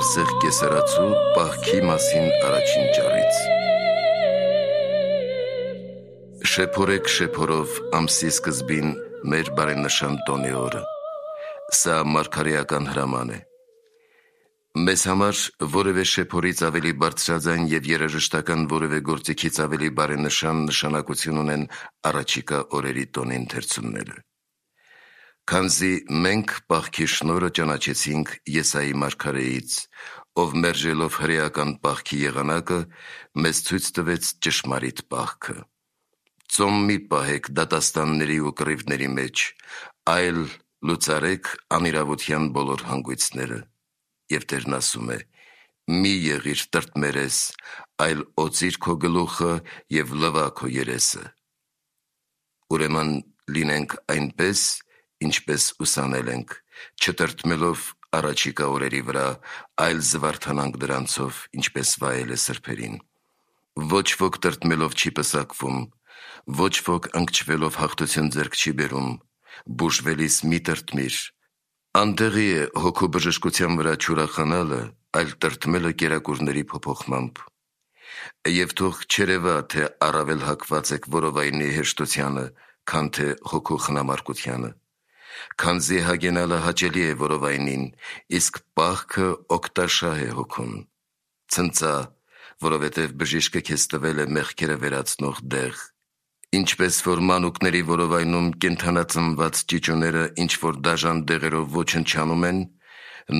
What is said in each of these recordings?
Արսեղ կեսարացու պահքի մասին առաջին ճառից։ Շեփորեք շեփորով ամսի սկզբին մեր բարենշան տոնի օրը։ Սա մարգարեական հրաման է։ Մեզ համար որևէ շեփորից ավելի բարձրաձայն եւ երաժշտական որևէ գործիքից ավելի բարենշան նշանակություն ունեն առաջիկա օրերի տոնի ընթերցումները։ Քանզի մենք պահքի շնորհը ճանաչեցինք Եսայի մարգարեից, ով մերժելով հրեական պահքի եղանակը, մեզ ցույց տվեց ճշմարիտ պահքը։ Ծոմ մի պահեք դատաստանների ու կռիվների մեջ, այլ լուծարեք անիրավության բոլոր հանգույցները։ Եվ Տերն ասում է. մի եղիր տրտմերես, այլ օծիր քո գլուխը եւ լվա քո երեսը։ Ուրեմն լինենք այնպես, ինչպես ուսանել ենք, չտրտմելով առաջիկա օրերի վրա, այլ զվարթանանք դրանցով, ինչպես վայել է սրբերին։ Ոչ ոք տրտմելով չի պսակվում, ոչ ոք ընկճվելով հաղթություն ձեռք չի բերում, բուժվելիս մի տրտմիր։ Անտեղի է հոգու բժշկության վրա չուրախանալը, այլ տրտմելը կերակուրների փոփոխմամբ։ Եվ թող չերևա, թե առավել հակված եք որովայնի հեշտությանը, քան թե հոգու խնամարկությանը։ Քանզի հագենալը հաճելի է որովայնին, իսկ պահքը օգտաշահ է հոգուն։ Ցնծա, որովհետև բժիշկը քեզ տվել է մեղքերը վերացնող դեղ։ Ինչպես որ մանուկների որովայնում կենդանածնված ճիճուները ինչ-որ դաժան դեղերով ոչնչանում են,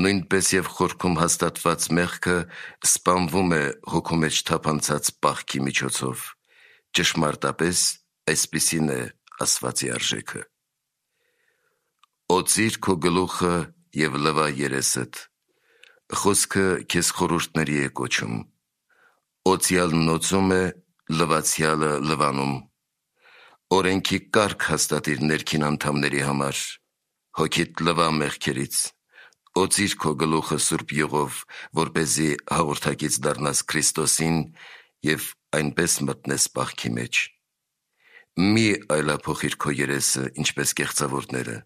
նույնպես եւ խորքում հաստատված մեղքը սպանվում է հոգու մեջ թափանցած պահքի միջոցով։ Ճշմարտապես այսպիսին է ասվածի արժեքը։ Օծիր քո գլուխը եւ լվա երեսդ։ Խոսքը քեզ խորհուրդների է կոչում։ Օծյալն օծում է, լվացյալը լվանում։ Օրենքի կարգ հաստատիր ներքին անդամների համար, հոգիդ լվա մեղքերից։ Օծիր քո գլուխը սուրբ յուղով, որպեսզի հաղորդակից դառնաս Քրիստոսին եւ այնպես մտնես պահքի մեջ։ Մի այլափոխիր քո երեսը, ինչպես կեղծավորները։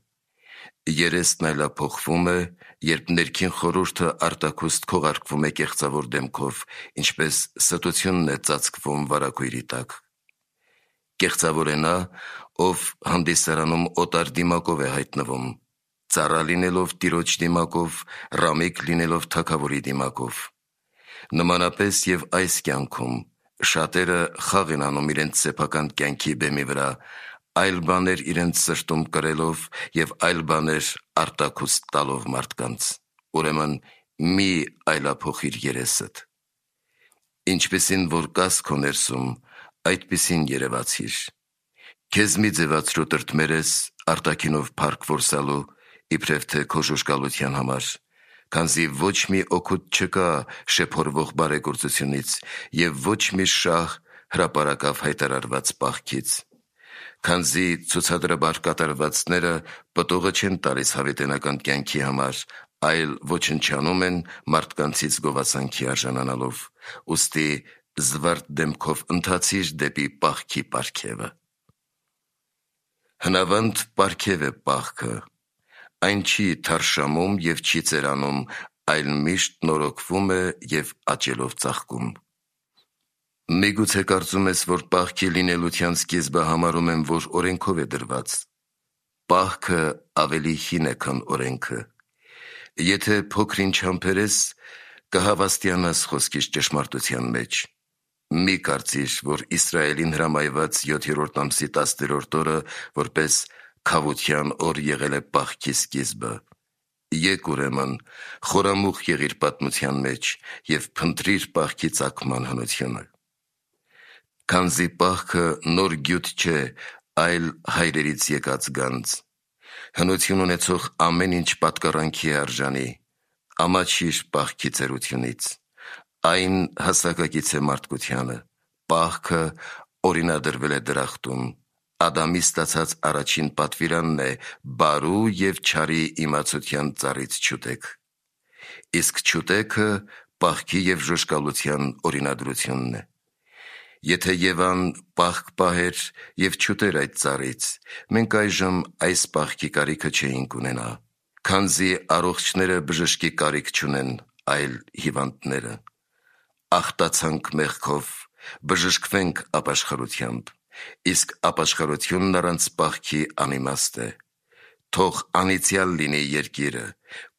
Երեսն այլափոխվում է, երբ ներքին խորհուրդը արտաքուստ քողարկվում է կեղծավոր դեմքով, ինչպես ստությունն է ծածկվում վարագույրի տակ։ Կեղծավոր է նա, ով հանդիսարանում օտար դիմակով է հայտնվում, ծառա լինելով տիրոջ դիմակով, ռամիկ լինելով թագավորի դիմակով։ Նմանապես եւ այս կյանքում շատերը խաղ են անում իրենց սեփական կյանքի բեմի վրա, այլ բաներ իրենց սրտում կրելով եւ այլ բաներ արտաքուստ տալով մարդկանց։ Ուրեմն մի այլափոխիր երեսդ։ Ինչպեսին որ կաս քո ներսում, այդպիսին երևացիր։ Քեզ մի ձևացրու տրտմերես արտաքինով փառք որսալու, իբրև թե քո ժուժգալության համար, քանզի ոչ մի օգուտ չկա շեփորվող բարեգործությունից եւ ոչ մի շահ հրապարակավ հայտարարված պահքից։ Քանզի ցուցադրաբար կատարվածները պտուղը չեն տալիս հավիտենական կյանքի համար, այլ ոչնչանում են մարդկանցից գովասանքի արժանանալով, ուստի զվարթ դեմքով ընթացիր դեպի պահքի պարգևը։ Հնավանդ պարգև է պահքը, այն չի թարշամում եւ չի ծերանում, այլ միշտ նորոգվում է եւ աճելով ծաղկում։ Միգուցե կարծում ես, որ պահքի լինելության սկիզբը համարում եմ, որ օրենքով է դրված։ Պահքը ավելի հին է, քան օրենքը։ Եթե փոքրինչ համբերես, կհավաստիանաս խոսքիս ճշմարտության մեջ։ Մի կարծիր, որ Իսրայելին հրամայված 7-րդ ամսի 10-րդ օրը որպես քավության օր եղել է պահքի սկիզբը։ Եկ ուրեմն խորամուխ եղիր պատմության մեջ եւ փնտրիր պահքի ծագման հնությունը։ Քանզի պահքը նոր գյուտ չէ, այլ հայրերից եկած գանձ։ Հնություն ունեցող ամեն ինչ պատկառանքի է արժանի, ամաչիր պահքի ծերությունից։ Այն հասակակից է մարդկությանը, պահքը օրինադրվել է դրախտում, Ադամի ստացած առաջին պատվիրանն է բարու եւ չարի իմացության ծառից չուտեք։ Իսկ չուտեքը պահքի եւ ժուժկալության օրինադրությունն է։ Եթե Եվան պահք պահեր եւ չուտեր այդ ծառից, մենք այժմ այս պահքի կարիքը չէինք ունենա, քանզի առողջները բժշկի կարիք չունեն, այլ հիվանդները։ Ախտացանք մեղքով, բժշկվենք ապաշխարությամբ, իսկ ապաշխարությունն առանց պահքի անիմաստ է։ Թող անիծյալ լինի երկիրը,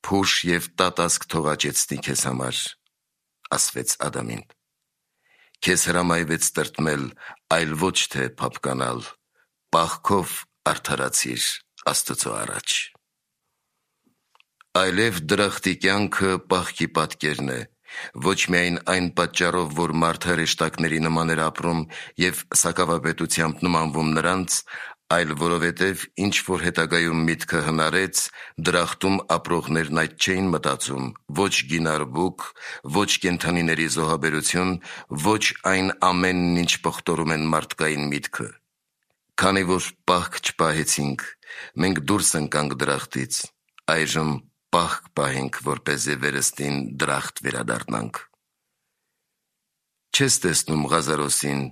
փուշ և տատասկ թող աճեցնի քեզ համար, ասվեց Ադամին։ Քեզ հրամայվեց տրտմել, այլ ոչ թե փափկանալ, պահքով արդարացիր Աստծո առաջ։ Այլև դրախտի կյանքը պահքի պատկերն է, ոչ միայն այն պատճառով, որ մարդը հրեշտակների նման էր ապրում և սակավապետությամբ նմանվում նրանց, այլ որովհետև ինչ-որ հետագայում միտքը հնարեց, դրախտում ապրողներն այդ չէին մտածում, ոչ գինարբուք, ոչ կենդանիների զոհաբերություն, ոչ այն ամենն, ինչ պղտորում են մարդկային միտքը։ Քանի որ պահք չպահեցինք, մենք դուրս ընկանք դրախտից, այժմ պահք պահենք, որպեսզի վերստին դրախտ վերադառնանք։ Չես տեսնում Ղազարոսին,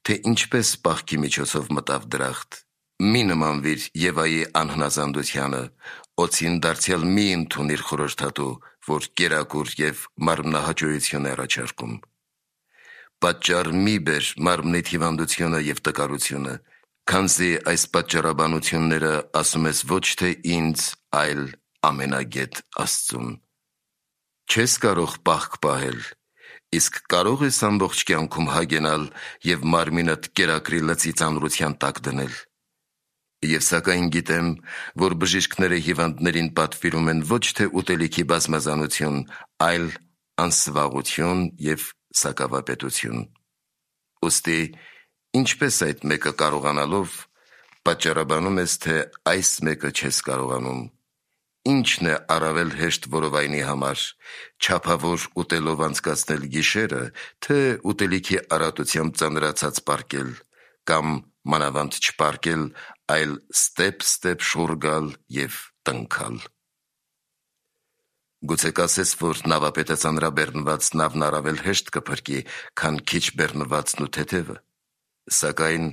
թե ինչպես պահքի միջոցով մտավ դրախտ։ Մի նմանվիր Եվայի անհնազանդությանը, օձին դարձյալ մի ընդունիր խորհրդատու, որ կերակուր և մարմնահաճոյություն է առաջարկում։ Պատճառ մի բեր մարմնիդ հիվանդությունը և տկարությունը, քանզի այս պատճառաբանությունները ասում ես ոչ թե ինձ, այլ ամենագետ Աստծուն։ Չես կարող պահք պահել, իսկ կարող ես ամբողջ կյանքում հագենալ և մարմինդ կերակրի լծի ծանրության տակ դնել։ Եվ սակայն գիտեմ, որ բժիշկները հիվանդներին պատվիրում են ոչ թե ուտելիքի բազմազանություն, այլ անսվաղություն և սակավապետություն։ Ուստի ինչպես այդ մեկը կարողանալով, պատճառաբանում ես, թե այս մեկը չես կարողանում։ Ինչն է առավել հեշտ որովայնի համար, չափավոր ուտելով անցկացնել գիշերը, թե ուտելիքի առատությամբ ծանրացած պարկել, կամ մանավանդ չպարկել, այլ ստեպ շուռ գալ և տնքալ։ Գուցե կասես, որ նավապետը ծանրաբեռնված նավն առավել հեշտ կփրկի, քան քիչ բեռնվածն ու թեթևը։ Սակայն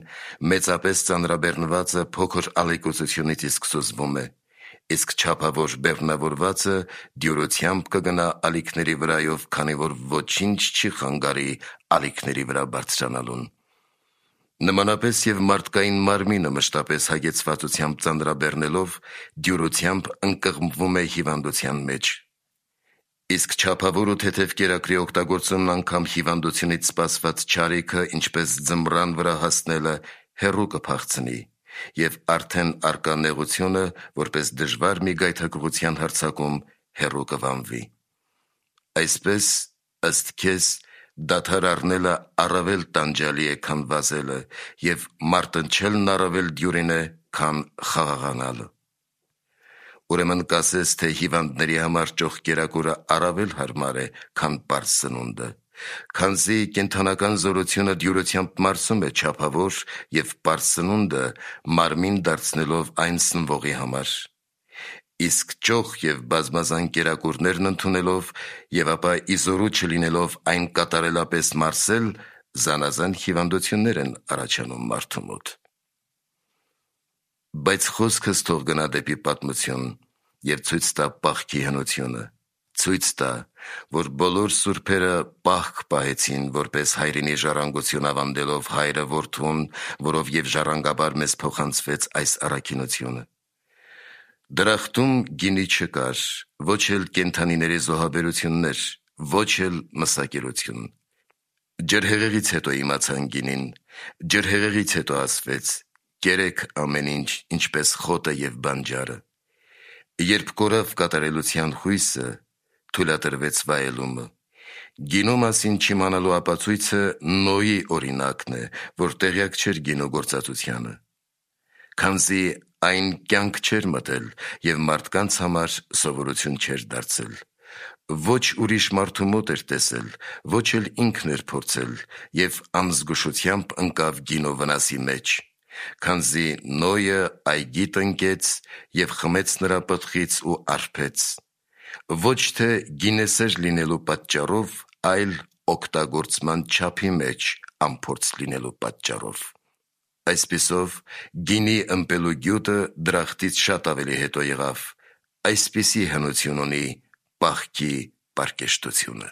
մեծապես ծանրաբեռնվածը փոքր ալեկոծությունից իսկ սուզվում է, իսկ չափավոր բեռնավորվածը դյուրությամբ կգնա ալիքների վրայով, քանի որ ոչինչ չի խանգարի ալիքների վրա բարձրանալուն։ Նմանապես և մարդկային մարմինը մշտապես հագեցվածությամբ ծանրաբեռնելով, դյուրությամբ ընկղմվում է հիվանդության մեջ։ Իսկ չափավոր ու թեթև կերակրի օգտագործումն անգամ հիվանդությունից սպասված չարիքը, ինչպես ձմռան վրա հասնելը, հեռու կփախցնի, և արդեն առկա նեղությունը, որպես դժվար մի գայթակղության հարձակում, հեռու կվանվի։ Այսպես, ըստ քեզ, դադար առնելը առավել տանջալի է, քան վազելը, և մարտնչելն առավել դյուրին է, քան խաղաղանալը։ Ուրեմն կասես, թե հիվանդների համար ճոխ կերակուրը առավել հարմար է, քան պարզ սնունդը, քանզի կենդանական զորությունը դյուրությամբ մարսում է չափավոր և պարզ սնունդը մարմին դարձնելով այն սնվողի համար։ Իսկ ճոխ և բազմազան կերակուրներն ընդունելով և ապա իզորու չլինելով այն կատարելապես մարսել, զանազան հիվանդություններ են առաջանում մարդու մոտ։ Բայց խոսքս թող գնա դեպի պատմություն և ցույց տա պահքի հնությունը, ցույց տա, որ բոլոր սուրբերը պահք պահեցին, որպես հայրենի ժառանգություն ավանդելով Հայրը Որդուն, որով և ժառանգաբար մեզ փոխանցվեց այս առաքինությունը։ Դրախտում գինի չկար, ոչ էլ կենդանիների զոհաբերություններ, ոչ էլ մսակերություն։ Ջրհեղեղից հետո իմացան գինին, ջրհեղեղից հետո ասվեց. «Կերեք ամեն ինչ, ինչպես խոտը և բանջարը»։ Երբ կորավ կատարելության հույսը, թույլատրվեց վայելումը։ Գինու մասին չիմանալու ապացույցը Նոյի օրինակն է, որ տեղյակ չէր գինու գործածությանը։ Քանզի այն կյանք չէր մտել և մարդկանց համար սովորություն չէր դարձել։ Ոչ ուրիշ մարդու մոտ էր տեսել, ոչ էլ ինքն էր փորձել, և անզգուշությամբ ընկավ գինու վնասի մեջ, քանզի Նոյը այգի տնկեց և խմեց նրա պտղից ու արբեց, ոչ թե գինեսեր լինելու պատճառով, այլ օգտագործման չափի մեջ անփորձ լինելու պատճառով։ Այսպիսով, գինի ըմպելու գյուտը դրախտից շատ ավելի հետո եղավ, այսպիսի հնություն ունի պահքի պարկեշտությունը։